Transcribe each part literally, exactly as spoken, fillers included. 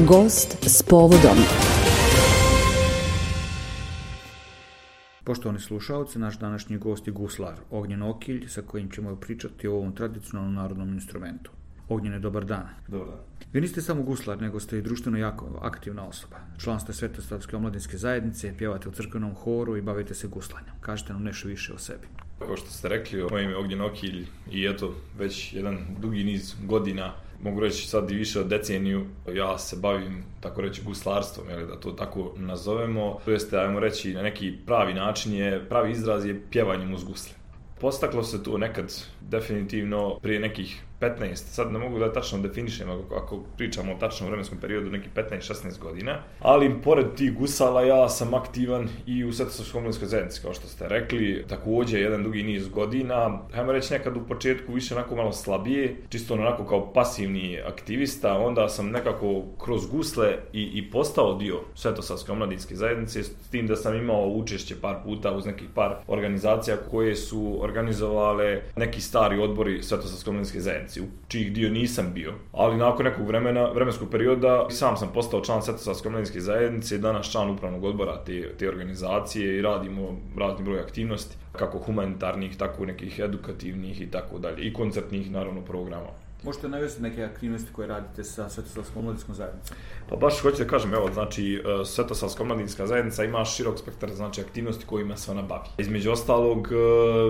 Gost s povodom. Poštovani slušalci, naš današnji gost je guslar Ognjen Okilj, sa kojim ćemo pričati o ovom tradicionalnom narodnom instrumentu. Ognjene, dobar dan. Dobar dan. Vi niste samo guslar, nego ste i društveno jako aktivna osoba. Član ste Svetosavske omladinske zajednice, pjevate u crkvenom horu i bavite se guslanjem. Kažite nam nešto više o sebi. Kao što ste rekli, moje ime je Ognjen Okilj i eto, već jedan dugi niz godina, mogu reći sad i više od deceniju, ja se bavim, tako reći, guslarstvom, jel, da to tako nazovemo. To jeste, ajmo reći, na neki pravi način je, pravi izraz je pjevanjem uz gusle. Postaklo se to nekad definitivno prije nekih petnaest, sad ne mogu da tačno definišem ako pričamo o tačnom vremenskom periodu, neki petnaest šesnaest godina, ali pored tih gusala ja sam aktivan i u Svetosavskoj omladinskoj zajednici, kao što ste rekli, također jedan dugi niz godina, hajmo reći nekad u početku više onako malo slabije, čisto onako kao pasivni aktivista, onda sam nekako kroz gusle i, i postao dio Svetosavske omladinske zajednice, s tim da sam imao učešće par puta uz nekih par organizacija koje su organizovale neki stari odbori Svetosavske omladinske zajednice, u čijih dio nisam bio, ali nakon nekog vremena, vremenskog perioda sam sam postao član Svetosavske omladinske zajednice, danas član upravnog odbora te, te organizacije i radimo razni broj aktivnosti, kako humanitarnih, tako nekih edukativnih i tako dalje, i koncertnih naravno programa. Možete navesti neke aktivnosti koje radite sa Svetosavskom omladinskom zajednicom? Pa baš hoću da kažem, evo, znači, Svetosavska omladinska zajednica ima širok spektar, znači, aktivnosti kojima se ona bavi. Između ostalog,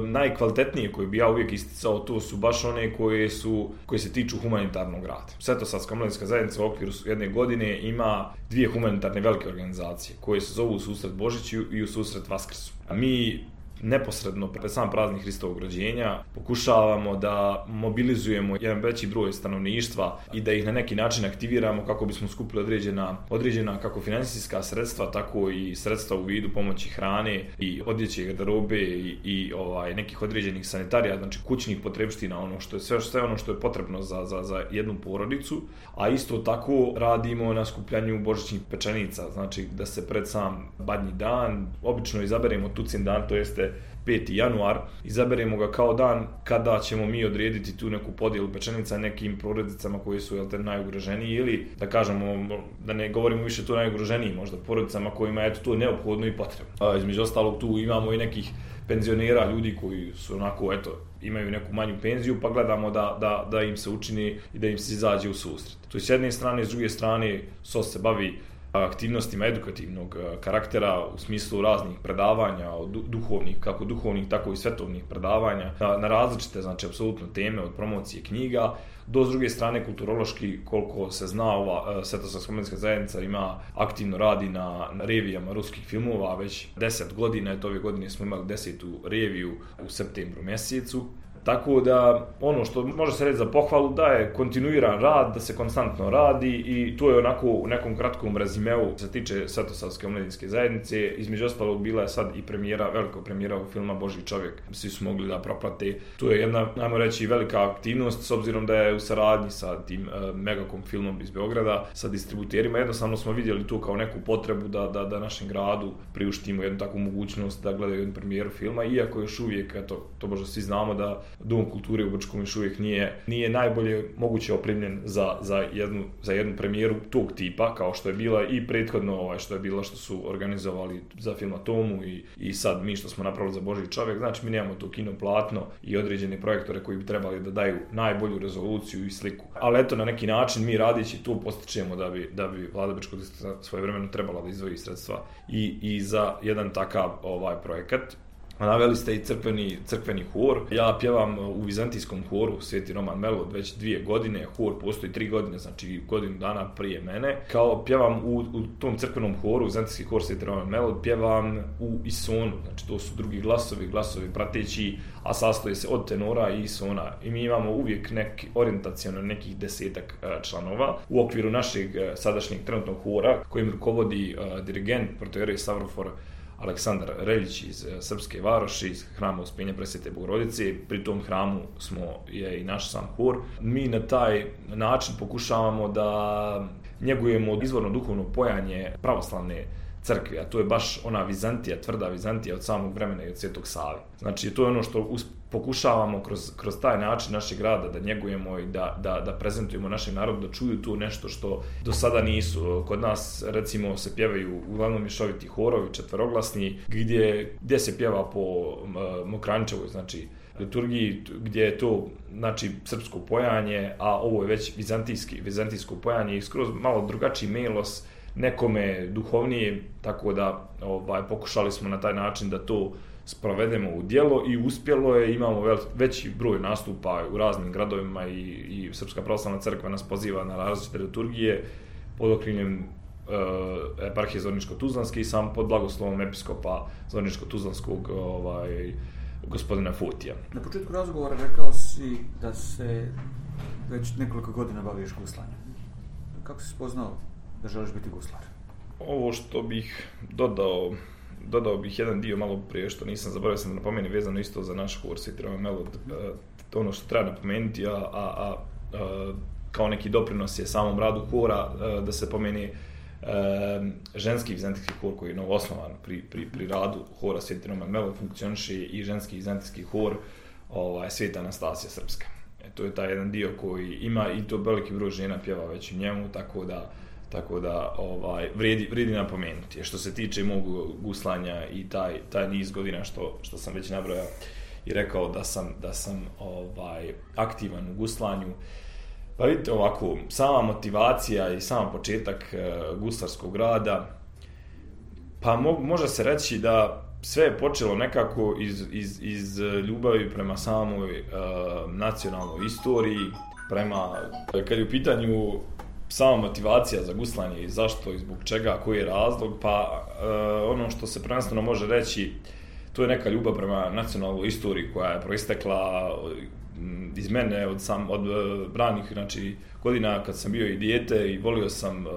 najkvalitetnije koje bi ja uvijek isticao, to su baš one koje su, koje se tiču humanitarnog rada. Svetosavska omladinska zajednica u okviru jedne godine ima dvije humanitarne velike organizacije, koje se zovu Susret Božiću i u Susret Vaskrsu. A mi neposredno pred sam praznik Hristovog rođenja pokušavamo da mobilizujemo jedan veći broj stanovništva i da ih na neki način aktiviramo kako bismo skupili određena, određena kako financijska sredstva, tako i sredstva u vidu pomoći hrane i odjeće, garderobe i, i ovaj, nekih određenih sanitarija, znači kućnih potrebština, ono što je sve, sve ono što je potrebno za, za, za jednu porodicu, a isto tako radimo na skupljanju božićnih pečenica, znači da se pred sam badnji dan, obično izaberemo tucin dan, to jeste peti januar, izaberemo ga kao dan kada ćemo mi odrediti tu neku podjelu pečenica nekim porodicama koji su, jel te, najugroženiji, ili da kažemo, da ne govorimo više tu najugroženiji, možda porodicama kojima je to neophodno i potrebno. A između ostalog tu imamo i nekih penzionera, ljudi koji su onako, eto, imaju neku manju penziju, pa gledamo da, da, da im se učini i da im se izađe u susret. To je s jedne strane, s druge strane S O S se bavi aktivnostima edukativnog karaktera u smislu raznih predavanja, duhovnih, kako duhovnih, tako i svetovnih predavanja na, na različite, znači, apsolutno teme, od promocije knjiga do, s druge strane, kulturološki, koliko se zna, ova Svetosavska omladinska zajednica ima, aktivno radi na, na revijama ruskih filmova, već deset godina, eto ove godine smo imali desetu reviju u septembru mjesecu. Tako da, ono što može se reći za pohvalu, da je kontinuiran rad, da se konstantno radi i to je onako u nekom kratkom rezimeu što se tiče Svetosavske omladinske zajednice. Između ostalog bila je sad i premijera, velika premijera ovog filma Božji čovjek, svi su mogli da proprate. To je jedna, ajmo reći, velika aktivnost s obzirom da je u saradnji sa tim uh, Megakom filmom iz Beograda, sa distributerima. Jednostavno smo vidjeli tu kao neku potrebu da, da, da našem gradu priuštimo jednu takvu mogućnost da gledaju jednu premijeru filma, iako još uvijek, eto, to možda svi znamo da Dom kulture u Brčkom još uvijek nije, nije najbolje moguće opremljen za, za, jednu, za jednu premijeru tog tipa, kao što je bila i prethodno ovaj, što je bilo što su organizovali za film Atomu i, i sad mi što smo napravili za Božji čovjek. Znači mi nemamo to kino platno i određene projektore koji bi trebali da daju najbolju rezoluciju i sliku. Ali eto, na neki način mi radići to postičemo da bi, da bi Vlada Brčkog svojevremeno trebala da izdvoji sredstva i, i za jedan takav ovaj projekat. Naveli ste i crkveni, crkveni hor. Ja pjevam u vizantijskom horu Sveti Roman Melod već dvije godine. Hor postoji tri godine, znači godinu dana prije mene. Kao pjevam u, u tom crkvenom horu, vizantijski hor Sveti Roman Melod, pjevam u isonu. Znači to su drugi glasovi, glasovi prateći, a sastoji se od tenora i isona. I mi imamo uvijek neki orijentacijalno nekih desetak članova u okviru našeg sadašnjeg trenutnog hora kojim rukovodi uh, dirigent protoijerej Savrofor Aleksandar Reljić iz Srpske Varoši, iz hrama Uspjenja Presvete Bogorodice. Pri tom hramu smo je i naš sam hor. Mi na taj način pokušavamo da njegujemo izvorno duhovno pojanje pravoslavne crkve, a to je baš ona Vizantija, tvrda Vizantija od samog vremena i od Svetog Save. Znači, to je ono što pokušavamo kroz, kroz taj način našeg rada da njegujemo i da, da, da prezentujemo našem narodu, da čuju tu nešto što do sada nisu. Kod nas, recimo, se pjevaju uglavnom mješoviti horovi, četveroglasni, gdje, gdje se pjeva po uh, Mokranjčevoj, znači, liturgiji, gdje je to, znači, srpsko pojanje, a ovo je već vizantijski, vizantijsko pojanje i skroz malo drugačiji melos, nekome duhovnije, tako da ovaj, pokušali smo na taj način da to sprovedemo u djelo i uspjelo je, imamo vel, veći broj nastupa u raznim gradovima i, i Srpska pravoslavna crkva nas poziva na različite liturgije pod okriljem e, eparhije Zvorničko-Tuzlanske i sam pod blagoslovom episkopa Zvorničko-Tuzlanskog ovaj, gospodina Futija. Na početku razgovora rekao si da se već nekoliko godina baviš guslanjem. Kako si spoznao da želiš biti guslar? Ovo što bih dodao, dodao bih jedan dio malo prije što nisam zaboravio sam da napomenem vezano isto za naš hor Sveti Roman Melod. Ono što treba napomenuti, a, a, a kao neki doprinos je samom radu hora da se pomeni e, ženski vizantijski hor koji je novoosnovan pri, pri, pri radu hora Sveti Roman Melod, funkcioniše i ženski vizantijski hor ovaj, Sveta Anastasija Srpska. E, to je taj jedan dio koji ima i to veliki broj žena pjeva već u njemu, tako da Tako da ovaj, vrijedi, vrijedi napomenuti. Što se tiče mog guslanja i taj, taj niz godina što, što sam već nabrojao i rekao da sam, da sam ovaj, aktivan u guslanju. Pa vidite ovako, sama motivacija i sam početak uh, guslarskog rada, pa mo, može se reći da sve je počelo nekako iz, iz, iz ljubavi prema samoj uh, nacionalnoj istoriji, prema, kad je u pitanju sama motivacija za guslanje i zašto i zbog čega, koji je razlog, pa e, ono što se prvenstveno može reći, to je neka ljubav prema nacionalnoj istoriji koja je proistekla iz mene od, sam, od ranih znači, godina kad sam bio i dijete i volio sam e,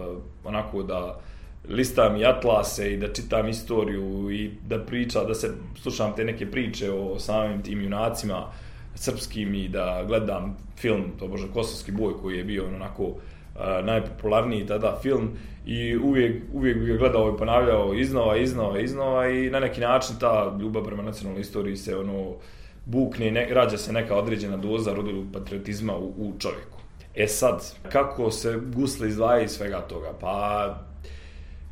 onako da listam i atlase i da čitam istoriju i da priča, da se slušam te neke priče o samim tim junacima srpskim i da gledam film, to bože Kosovski boj koji je bio onako Uh, najpopularniji tada film i uvijek, uvijek bi ga gledao i ponavljao iznova, iznova, iznova i na neki način ta ljubav prema nacionalnoj istoriji se ono bukne, ne, rađa se neka određena doza rodilog patriotizma u, u čovjeku. E sad, kako se gusle izdvaja iz svega toga? Pa,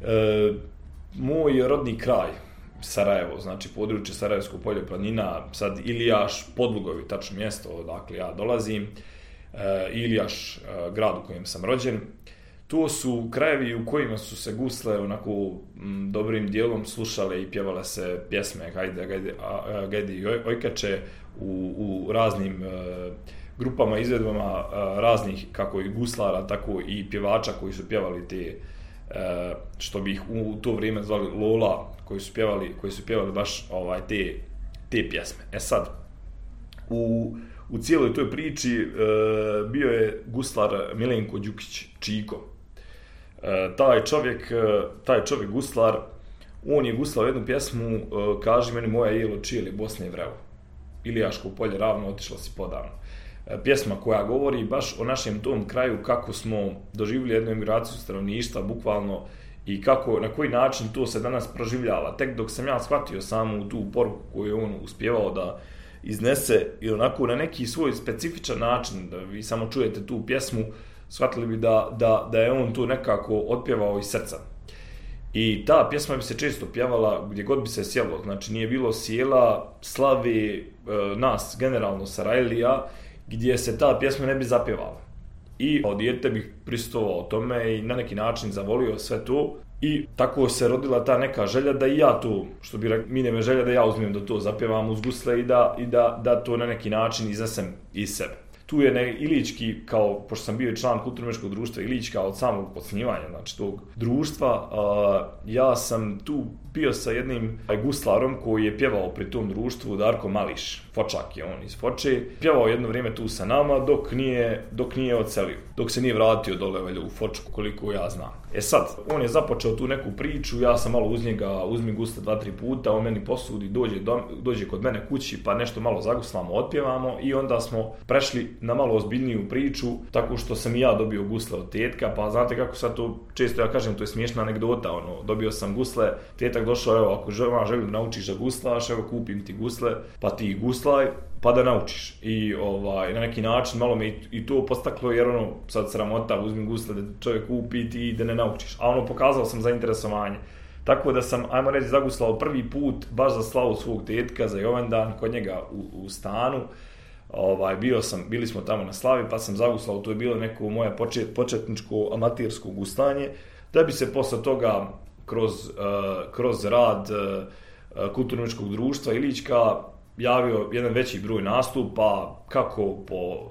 e, moj rodni kraj, Sarajevo, znači područje Sarajevsko polje, planina, sad Ilijaš, Podlugovi, tačno mjesto odakle ja dolazim, Uh, Ilijaš, uh, grad u kojem sam rođen. To su krajevi u kojima su se gusle onako m, dobrim dijelom slušale i pjevale se pjesme Hajde, Gajde, Gajde i Ojkače u, u raznim uh, grupama, izvedbama uh, raznih kako i guslara, tako i pjevača koji su pjevali te, uh, što bi ih u, u to vrijeme zvali Lola, koji su pjevali, koji su pjevali baš ovaj, te, te pjesme. E sad, u U cijeloj toj priči e, bio je guslar Milenko Đukić Čiko. E, taj čovjek, taj čovjek guslar, on je guslao jednu pjesmu e, Kaži meni moja jelo čije li Bosne i vrevo. Ilijaško polje ravno otišlo si podavno. E, pjesma koja govori baš o našem tom kraju, kako smo doživjeli jednu emigraciju stanovništva, bukvalno, i kako, na koji način to se danas proživljava. Tek dok sam ja shvatio samu tu poruku koju je on uspjevao da iznese i onako na neki svoj specifičan način, da vi samo čujete tu pjesmu, shvatili bi da, da, da je on tu nekako otpjevao iz srca. I ta pjesma bi se često pjevala gdje god bi se sjelo, znači nije bilo sjela, slave e, nas, generalno Sarajlija, gdje se ta pjesma ne bi zapjevala. I od dijete bih prisustvovao tome i na neki način zavolio sve to. I tako se rodila ta neka želja da i ja to, što bi rekao, mine me želja da ja uzmem da to zapjevam uz gusle i da, i da, da to na neki način iznesem iz sebe. Tu je ne, Ilički, kao, pošto sam bio član kulturno-umjetničkog društva Ilička od samog osnivanja, znači tog društva, a, ja sam tu bio sa jednim guslarom koji je pjevao pri tom društvu, Darko Mališ, Fočak je on iz Foče, pjevao jedno vrijeme tu sa nama dok nije, dok nije odselio, dok se nije vratio dole veljo u Fočku, koliko ja znam. E sad, on je započeo tu neku priču, ja sam malo uz njega, uzmi gusle dva, tri puta, on meni posudi, dođe, do, dođe kod mene kući, pa nešto malo zaguslamo, otpjevamo i onda smo prešli na malo ozbiljniju priču, tako što sam i ja dobio gusle od tetka, pa znate kako sad to, često ja kažem, to je smiješna anegdota, ono, dobio sam gusle, tetak došao, evo, ako želim, želim naučiš da guslaš, evo, kupim ti gusle, pa ti ih guslaj, pa da naučiš. I ovaj, na neki način malo me i, i to postaklo, jer ono, sad sramota, uzmim gusle da čovjek kupi ti i da ne naučiš. A ono, pokazao sam zainteresovanje. Tako da sam, ajmo reći, zaguslao prvi put, baš za slavu svog tetka, za Jovendan, kod njega u, u stanu. Ovaj, bio sam, bili smo tamo na slavi, pa sam zaguslao, to je bilo neko moje počet, početničko amatersko gustanje, da bi se posle toga kroz, uh, kroz rad uh, kulturno-umjetničkog društva Ilićka javio jedan veći broj nastupa, kako po uh,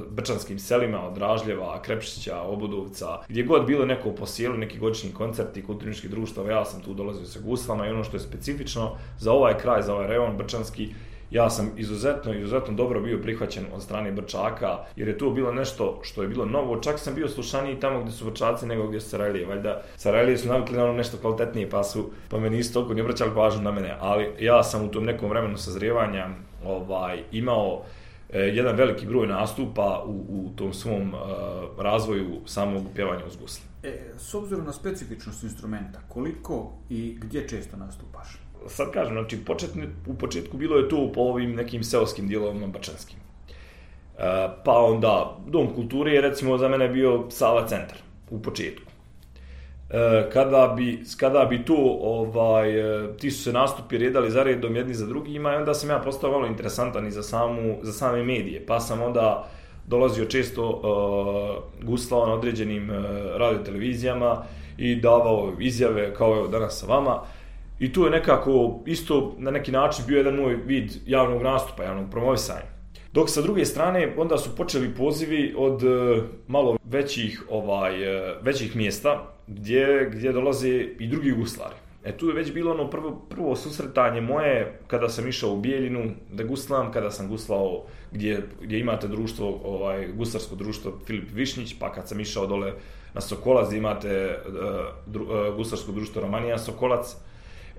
brčanskim selima, od Ražljeva, Krepšića, Obudovca, gdje god bilo neko po sjelu, neki godišnji koncerti kulturno-umjetničkih društava, ja sam tu dolazio sa guslama i ono što je specifično za ovaj kraj, za ovaj rejon brčanski, ja sam izuzetno, izuzetno dobro bio prihvaćen od strane Brčaka, jer je to bilo nešto što je bilo novo. Čak sam bio slušaniji tamo gdje su Brčaci nego gdje su Sarajlije. Valjda Sarajlije su navikli na ono nešto kvalitetnije, pa su pa me nisu toliko ne obraćali pažnju na mene. Ali ja sam u tom nekom vremenu sazrijevanja ovaj, imao eh, jedan veliki broj nastupa u, u tom svom eh, razvoju samog pjevanja uz gusle. E, s obzirom na specifičnost instrumenta, koliko i gdje često nastupaš? Sad kažem, znači, početni, u početku bilo je to po ovim nekim seoskim dijelovima brčanskim. E, pa onda, Dom kulture je recimo za mene bio Sava centar u početku. E, kada, bi, kada bi to, ovaj, ti su se nastupi redali za redom jedni za drugima i onda sam ja postao vrlo interesantan i za, samu, za same medije. Pa sam onda dolazio često uh, guslao na određenim uh, radiotelevizijama i davao izjave kao evo danas sa vama. I tu je nekako isto na neki način bio jedan moj vid javnog nastupa, javnog promovisanja. Dok sa druge strane onda su počeli pozivi od uh, malo većih ovaj uh, većih mjesta gdje gdje dolaze i drugi guslari. E tu je već bilo ono prvo prvo susretanje moje kada sam išao u Bijeljinu da guslam, kada sam guslao gdje gdje imate društvo ovaj guslarsko društvo Filip Višnjić, pa kad sam išao dole na Sokolac gdje imate uh, dru, uh, guslarsko društvo Romanija Sokolac.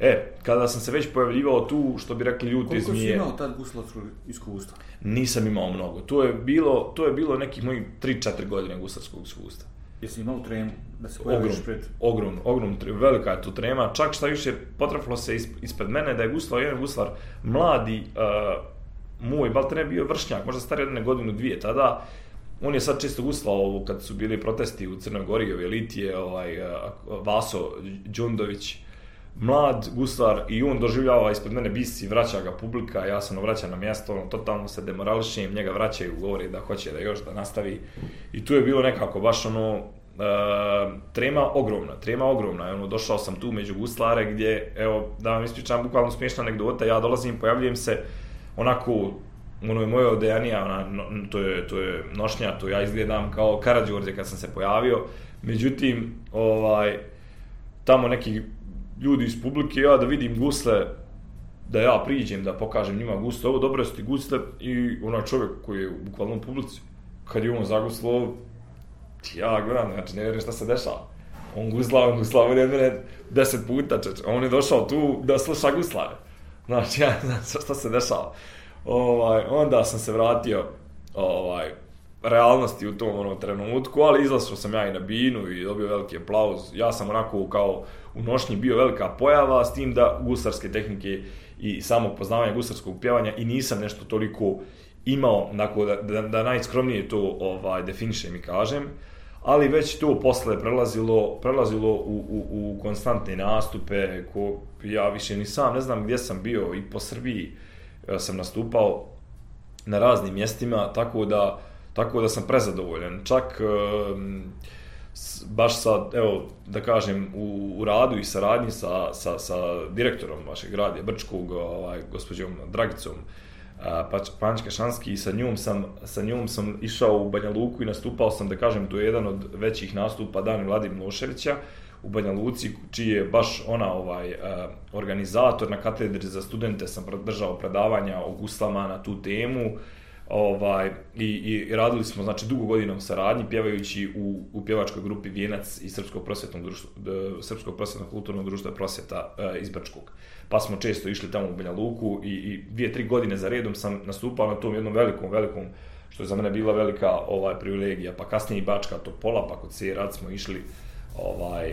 E, kada sam se već pojavljivao tu, što bi rekli ljudi iz Mije... Koliko si imao tad guslarsko iskustva? Nisam imao mnogo. To je bilo, to je bilo nekih mojih tri četiri godine guslarskog iskustva. Jesi imao tremu da se pojaviš ogrom, pred... Ogrom, ogrom, velika je tu trema. Čak šta više potrafilo se ispred mene da je guslao jedan guslar mladi, uh, moj, baltene bio vršnjak, možda stari jedne godinu dvije tada. On je sad često guslao kad su bili protesti u Crnoj Gori, ove Litije, ovaj, uh, Vaso Đundović, mlad guslar i on doživljava ispred mene bisi, vraća ga publika, ja sam vraćam na mjesto, ono, totalno se demorališem, njega vraćaju, govori da hoće da još da nastavi i tu je bilo nekako baš ono uh, trema ogromna, trema ogromna, ono, došao sam tu među guslare gdje, evo, da vam ispričam bukvalno smiješna anegdota, ja dolazim, pojavljujem se onako, ono je moje odejanija, ona, no, to, je, to je nošnja, to ja izgledam kao Karađorđe kad sam se pojavio, međutim, ovaj, tamo neki ljudi iz publike, ja da vidim gusle, da ja priđem, da pokažem njima gusle, ovo dobro su ti gusle i onaj čovjek koji je u bukvalnom publici, kad je on zaguslo, ja gledam, znači ne vjerujem šta se dešava. On gusla, on gusla, on je mene deset puta, čeč, on je došao tu da sluša guslare. Znači, ja znam šta se dešava. Ovaj, onda sam se vratio ovaj, realnosti u tom onom trenutku, ali izlazio sam ja i na binu i dobio veliki aplauz. Ja sam onako kao u nošnji bio velika pojava, s tim da gusarske tehnike i samog poznavanja gusarskog pjevanja i nisam nešto toliko imao, dakle, da, da, da najskromnije to ovaj, definišem i kažem, ali već to posle prelazilo, prelazilo u, u, u konstantne nastupe, ko ja više ni sam ne znam gdje sam bio i po Srbiji sam nastupao na raznim mjestima, tako da Tako da sam prezadovoljan. Čak baš sad, evo, da kažem, u, u radu i saradnji sa, sa, sa direktorom vašeg radija Brčkog, ovaj, gospođom Dragicom Pančka-Šanski, i sa njom, sam, sa njom sam išao u Banja Luku i nastupao sam, da kažem, to je jedan od većih nastupa Dani Vladi Miloševića u Banja Luci, čiji je baš ona ovaj, organizator. Na katedri za studente sam držao predavanja o guslama na tu temu. Ovaj, i, i radili smo, znači, dugo godina u saradnji, pjevajući u, u pjevačkoj grupi Vijenac i Srpskog prosvjetnog društva, Srpskog prosvjetnog kulturnog društva prosvjeta e, iz Brčkog. Pa smo često išli tamo u Banja Luku i, i dvije, tri godine za redom sam nastupao na tom jednom velikom, velikom što je za mene bila velika ovaj, privilegija, pa kasnije i Bačka Topola, pa kod Sierad smo išli, ovaj,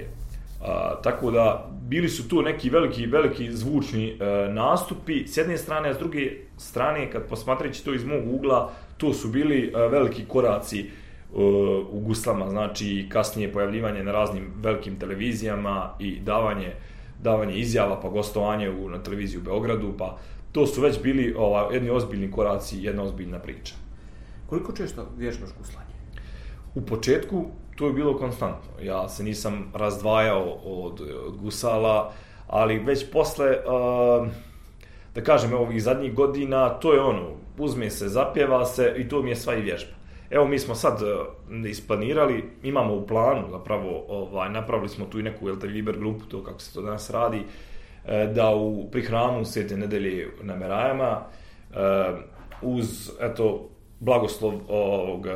a, tako da bili su tu neki veliki, veliki zvučni e, nastupi, s jedne strane, a s druge strane, kad posmatrajući to iz mog ugla, to su bili e, veliki koraci e, u guslama, znači kasnije pojavljivanje na raznim velikim televizijama i davanje, davanje izjava, pa gostovanje u, na televiziji u Beogradu, pa to su već bili ovaj, jedni ozbiljni koraci, jedna ozbiljna priča. Koliko često vježbaš guslanje? U početku to je bilo konstantno. Ja se nisam razdvajao od, od gusala, ali već posle, uh, da kažem, ovih zadnjih godina, to je ono, uzme se, zapjeva se i to mi je sva i vježba. Evo, mi smo sad uh, isplanirali, imamo u planu, zapravo, ovaj, napravili smo tu i neku L T Viber grupu, to kako se to danas radi, uh, da u pri hramu Svete nedelje na Merajama, uh, uz, eto, blagoslov ovog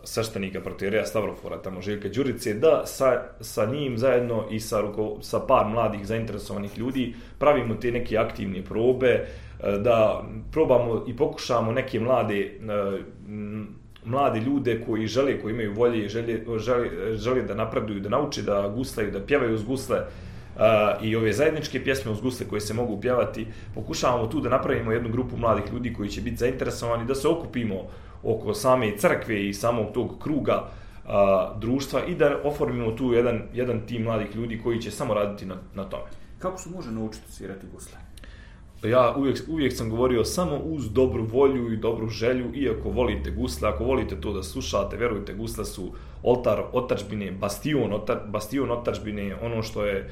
sveštenika protijereja Stavrofora, tamo Željka Đurice, da sa, sa njim zajedno i sa, ruko, sa par mladih zainteresovanih ljudi pravimo te neke aktivne probe, da probamo i pokušamo neke mlade, mlade ljude koji žele, koji imaju volje i žele, žele, žele da napreduju, da nauče da guslaju, da pjevaju uz gusle, Uh, i ove zajedničke pjesme uz gusle koje se mogu pjevati, pokušavamo tu da napravimo jednu grupu mladih ljudi koji će biti zainteresovani, da se okupimo oko same crkve i samog tog kruga uh, društva i da oformimo tu jedan, jedan tim mladih ljudi koji će samo raditi na, na tome. Kako se može naučiti svirati gusle? Ja uvijek, uvijek sam govorio samo uz dobru volju i dobru želju, i ako volite gusle, ako volite to da slušate, verujte, gusle su oltar otadžbine, bastion, otar, bastion otadžbine, ono što je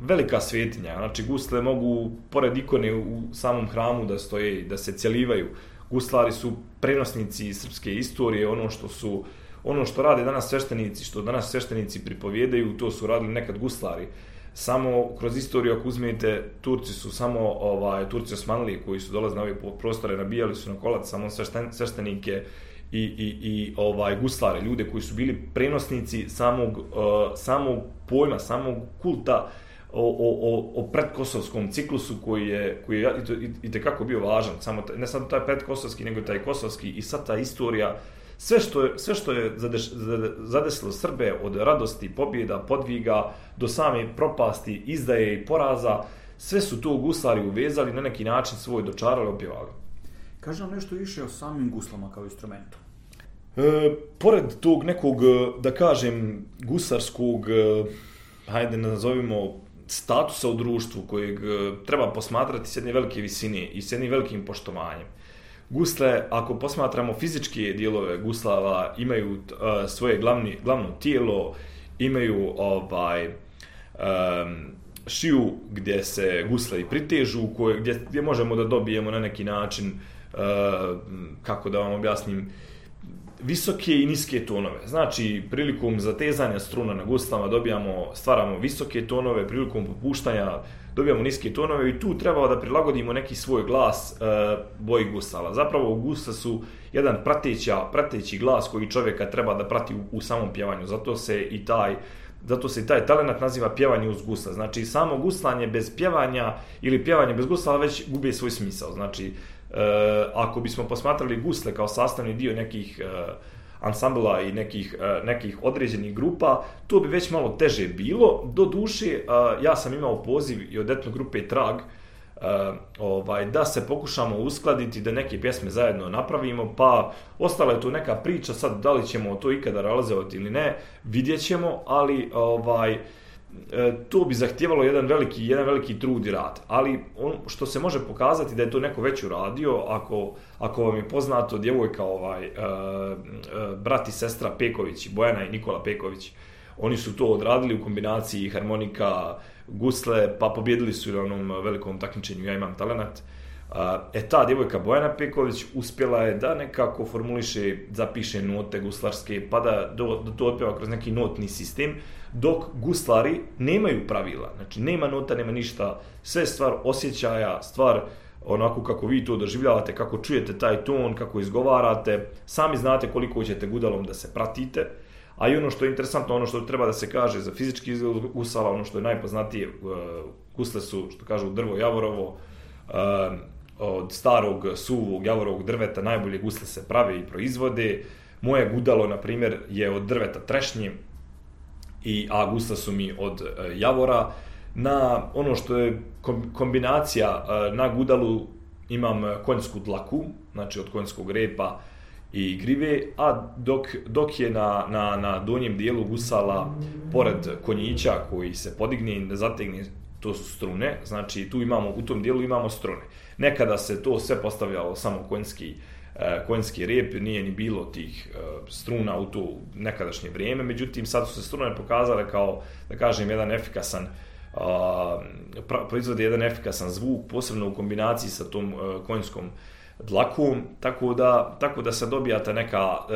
velika svetinja. Znači gusle mogu pored ikone u samom hramu da stoje, da se cjelivaju. Guslari su prenosnici srpske istorije, ono što su ono što rade danas sveštenici, što danas sveštenici pripovjedaju, to su radili nekad guslari. Samo kroz istoriju, ako uzmete, Turci su samo ovaj Turci Osmanlije koji su dolazili na ove prostore, nabijali su na kolac samo svešten, sveštenike i, i, i ovaj guslare, ljude koji su bili prenosnici samog, uh, samog pojma, samog kulta o, o, o predkosovskom ciklusu koji je, koji je itekako bio važan. Samo taj, ne samo taj predkosovski, nego taj kosovski i sad ta istorija, sve što je, sve što je zadeš, zadesilo Srbe od radosti, pobjeda, podviga do same propasti, izdaje i poraza, sve su to guslari uvezali, na neki način svoj dočarali, opjevali. Kaži nam nešto više o samim guslama kao instrumentu. E, pored tog nekog, da kažem, gusarskog, hajde nazovimo, statusa u društvu kojeg treba posmatrati s jedne velike visine i s jednim velikim poštovanjem. Gusle, ako posmatramo fizičke dijelove guslava, imaju uh, svoje glavni, glavno tijelo, imaju ovaj, um, šiju gdje se gusle i pritežu, koje, gdje, gdje možemo da dobijemo na neki način, uh, kako da vam objasnim, visoke i niske tonove. Znači, prilikom zatezanja struna na guslama dobijamo, stvaramo visoke tonove, prilikom popuštanja dobijamo niske tonove i tu trebamo da prilagodimo neki svoj glas uh, boji gusala. Zapravo gusle su jedan prateća, prateći glas koji čovjeka treba da prati u, u samom pjevanju. Zato se i taj Zato se i taj talenat naziva pjevanje uz gusla. Znači, samo guslanje bez pjevanja ili pjevanje bez gusla već gubi svoj smisao. Znači, e, ako bismo posmatrali gusle kao sastavni dio nekih e, ansambla i nekih, e, nekih određenih grupa, to bi već malo teže bilo. Do duše, e, ja sam imao poziv i od etno grupe Trag, Uh, ovaj, da se pokušamo uskladiti, da neke pjesme zajedno napravimo, pa ostala je tu neka priča, sad da li ćemo to ikada realizovati ili ne, vidjet ćemo, ali ovaj, uh, to bi zahtijevalo jedan veliki, jedan veliki trud i rad. Ali on, što se može pokazati da je to neko već uradio, ako, ako vam je poznato djevojka, ovaj, uh, uh, brat i sestra Peković, Bojana i Nikola Peković, oni su to odradili u kombinaciji harmonika, gusle, pa pobjedili su na onom velikom takmičenju Ja imam talenat. E, ta djevojka Bojana Peković uspjela je da nekako formuliše, zapiše note guslarske, pa da, da to otpjeva kroz neki notni sistem, dok guslari nemaju pravila. Znači, nema nota, nema ništa, sve stvar osjećaja, stvar onako kako vi to doživljavate, kako čujete taj ton, kako izgovarate, sami znate koliko ćete gudalom da se pratite. A i ono što je interesantno, ono što treba da se kaže za fizički izgled gusala, ono što je najpoznatije, gusle su, što kažu, drvo javorovo, od starog suvog javorovog drveta najbolje gusle se prave i proizvode. Moje gudalo, na primjer, je od drveta trešnje, i, a gusla su mi od javora. Na ono što je kombinacija, na gudalu imam konjsku dlaku, znači od konjskog repa i grive, a dok, dok je na, na, na donjem dijelu gusala, pored konjića koji se podigne i zategne, to su strune, znači tu imamo, u tom dijelu imamo strune. Nekada se to sve postavljalo samo konjski, konjski rep, nije ni bilo tih struna u to nekadašnje vrijeme, međutim sad su se strune pokazale kao, da kažem, jedan efikasan proizvode jedan efikasan zvuk, posebno u kombinaciji sa tom konjskom dlakom, tako da, tako da se dobijate neka e,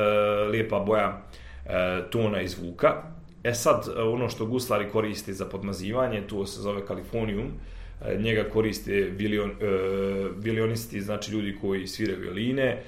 lijepa boja e, tona i zvuka. E sad, ono što guslari koriste za podmazivanje, to se zove kalifonijum, e, njega koriste vilion, e, violionisti, znači ljudi koji sviraju violine,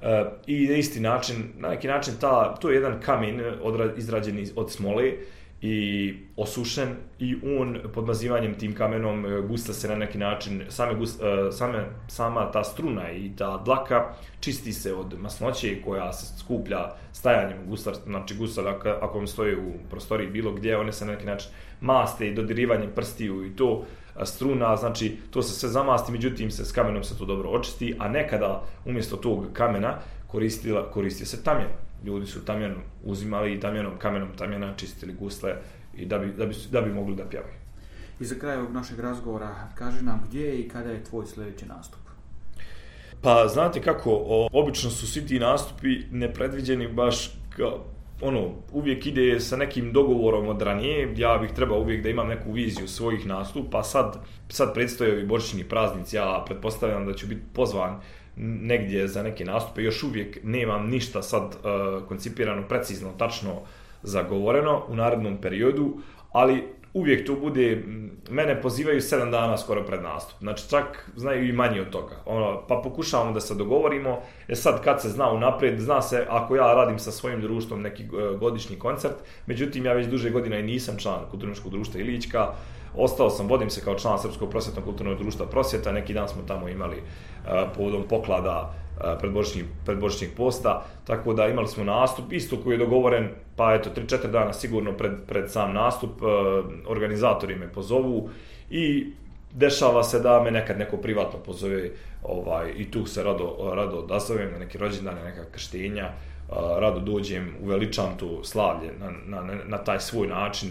e, i na isti način, na neki način, ta, to je jedan kamen odra, izrađen od smole i osušen, i on podmazivanjem tim kamenom gusla se na neki način, same gusla, same, sama ta struna i ta dlaka čisti se od masnoće koja se skuplja stajanjem gusla, znači gusla ako vam stoje u prostoriji bilo gdje, one se na neki način maste i dodirivanjem prstiju i to struna, znači to se sve zamasti, međutim se s kamenom se to dobro očisti, a nekada umjesto tog kamena koristila, koristio se tamjan. Ljudi su tamjan uzimali i tamjanom, kamenom tamjana čistili gusle i da bi, da bi, da bi mogli da pjevaju. I za kraj ovog našeg razgovora, kaži nam gdje i kada je tvoj sljedeći nastup? Pa znate kako, o, obično su svi ti nastupi nepredviđeni baš kao, ono, uvijek ide sa nekim dogovorom od ranije. Ja bih trebao uvijek da imam neku viziju svojih nastupa, sad, sad predstoje ovi božićni praznici, ja pretpostavljam da ću biti pozvan negdje za neke nastupe, još uvijek nemam ništa sad uh, koncipirano, precizno, tačno zagovoreno u narednom periodu, ali uvijek to bude, mene pozivaju sedam dana skoro pred nastup, znači čak znaju i manje od toga, ono, pa pokušavamo da se dogovorimo, jer sad kad se zna unaprijed, zna se ako ja radim sa svojim društvom neki uh, godišnji koncert, međutim ja već duže godina i nisam član Kulturno-umjetničkog društva Ilićka, ostao sam, vodim se kao član Srpskog prosvjetnog kulturnog društva Prosvjeta, neki dan smo tamo imali uh, povodom poklada uh, predbožićnih, predbožićnih posta, tako da imali smo nastup, isto koji je dogovoren, pa eto, tri četiri dana sigurno pred, pred sam nastup, uh, organizatori me pozovu i dešava se da me nekad neko privatno pozove, ovaj, i tu se rado, rado odazovem na neke rođendane, neka krštenja, uh, rado dođem, uveličam to slavlje na, na, na taj svoj način,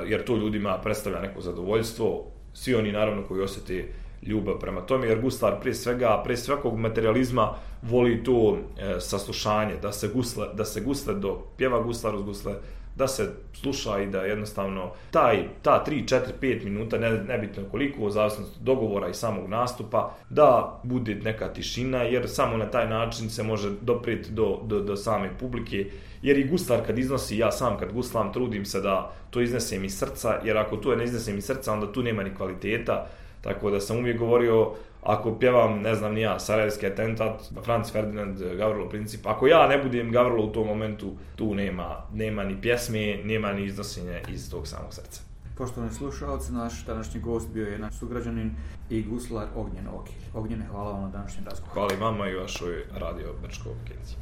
jer to ljudima predstavlja neko zadovoljstvo, svi oni naravno koji osjete ljubav prema tome, jer guslar prije svega, prije svakog materializma voli to e, saslušanje, da se gusle, da se gusle do pjeva guslar uz gusle, da se sluša i da jednostavno taj, ta tri, četiri, pet minuta, ne, nebitno koliko, u zavisnosti od dogovora i samog nastupa, da bude neka tišina, jer samo na taj način se može doprijeti do, do, do same publike, jer i guslar kad iznosi, ja sam kad guslam, trudim se da to iznesem iz srca, jer ako to ne iznesem iz srca, onda tu nema ni kvaliteta, tako da sam uvijek govorio, ako pjevam, ne znam ni ja, Sarajevski atentat, Franz Ferdinand, Gavrilo Princip, ako ja ne budem Gavrilo u tom momentu, tu nema, nema ni pjesme, nema ni iznosenja iz tog samog srca. Poštovani slušalci, naš današnji gost bio je naš sugrađanin i guslar Ognjen Okilj. Ognjene, hvala vam na današnjem razgovoru. Hvala i vama i vašoj radio Brčko Kenci.